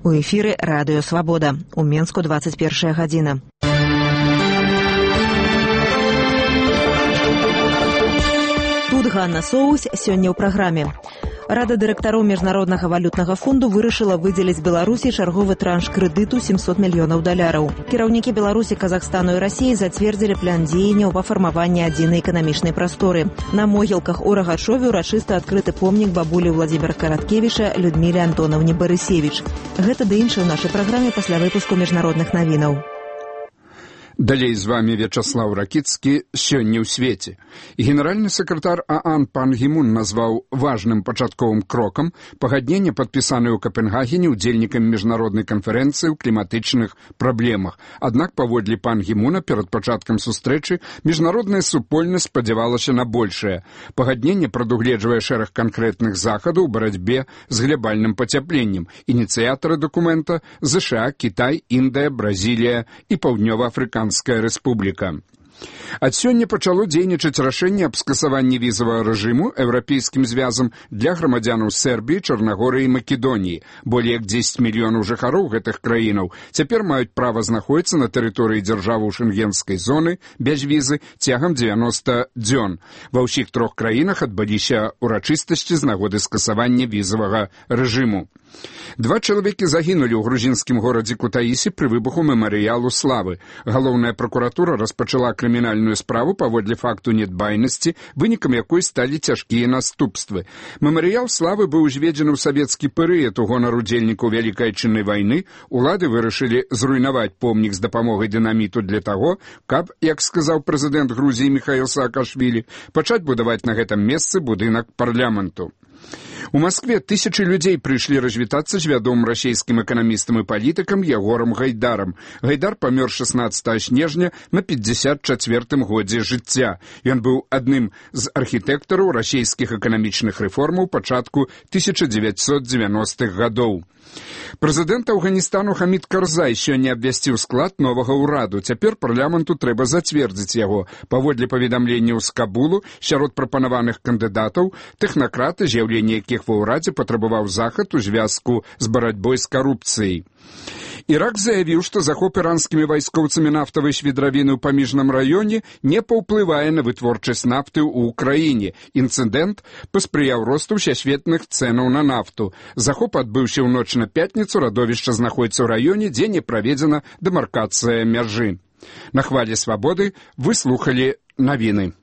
У эфіры радыё «Свабода». У Менску 21 гадзіна. Тут Ганна Соус сёння ў праграме. Рада дырэктароў Міжнароднага валютнага фонду вырашыла выдзеліць Беларусі чарговы транш крэдыту $700 мільёнаў. Кіраўнікі Беларусі, Казахстану і Расіі зацвердзілі план дзеянняў па фармаванні адзінай эканамічнай прасторы. На могілках у Рагачове ўрачыста адкрыты помнік бабулі Владзіміра Караткевіча Людміле Антонаўне Барысевіч. Гэта ды іншае ў нашай праграме пасля выпуску міжнародных навінаў. Далей з вами Вячаслав Ракіцкі «Сёння ў свеце». Генеральны сакратар ААН Пан Гі Мун назваў важным пачатковым крокам пагадненне, падпісанае ў Капенгагене удзельнікамі міжнароднай канферэнцыі ў кліматычных праблемах. Аднак, паводле Пан Гі Муна, перад пачаткам сустрэчы міжнародная супольнасць спадзявалася на большае. Пагадненне прадугледжвае шэраг канкрэтных захадаў у барацьбе з глобальным пацяпленнем. Ініцыятары дакумента – ЗША, Кітай, Індыя, Бразілія і Паўднёва-Афрыканская Рэспубліка. Ад сёння пачало дзейнічаць рашэнне аб скасаванні візавага рэжыму еўрапейскім звязам для грамадзянаў Сербіі, Чарнагорыі і Македоніі. Болей як 10 мільёнаў жыхароў гэтых краінаў цяпер маюць права знаходзіцца на тэрыторыі дзяржавы шэнгенскай зоны без візы цягам 90 дзён. Ва ўсіх трох краінах адбыліся ўрачыстасці з нагоды скасавання візавага рэжыму. 2 чалавекі загінулі ў грузінскім горадзе Кутаісі пры выбуху мемарыялу славы. Галоўная пракуратура распачала крымінальную справу паводле факту нядбайнасці, вынікам якой сталі цяжкія наступствы. Мемарыял славы быў узведзены ў савецкі перыяд у гонар удзельнікаў Вялікай Адчыннай вайны. Улады вырашылі зруйнаваць помнік з дапамогай дынаміту для таго, каб, як сказаў прэзідэнт Грузіі Міхаіл Саакашвілі, пачаць будаваць на гэтым месцы будынак парламенту. У Маскве тысячы людзей прыйшлі развітацца з вядомым расійскім эканамістам і палітыкам Ягорам Гайдарам. Гайдар памёр 16 снежня на 54-м годзе жыцця. Ён быў адным з архітэктараў расійскіх эканамічных рэформаў пачатку 1990-х гадоў. Прэзідэнт Афганістану Хамід Карзай сёння абвясціў склад новага ўраду. Цяпер парламенту трэба зацвердзіць яго. Паводле паведамленняў з Кабулу, сярод прапанаваных кандыдатаў тэхнакраты, з'яўленне якіх ва ўрадзе патрабаваў захад у звязку з барацьбой з карупцыяй. Ірак заявіў, што захоп іранскімі вайскоўцамі нафтавай свідравіны ў паміжным раёне не паўплывае на вытворчасць нафты ў краіне. Інцыдэнт паспрыяў росту ўсесветных цэнаў на нафту. Захоп адбыўся ў ноч на пятніцу, радовішча знаходзіцца ў раёне, дзе не праведзена дэмаркацыя мяжы. На хвалі свабоды вы слухалі навіны.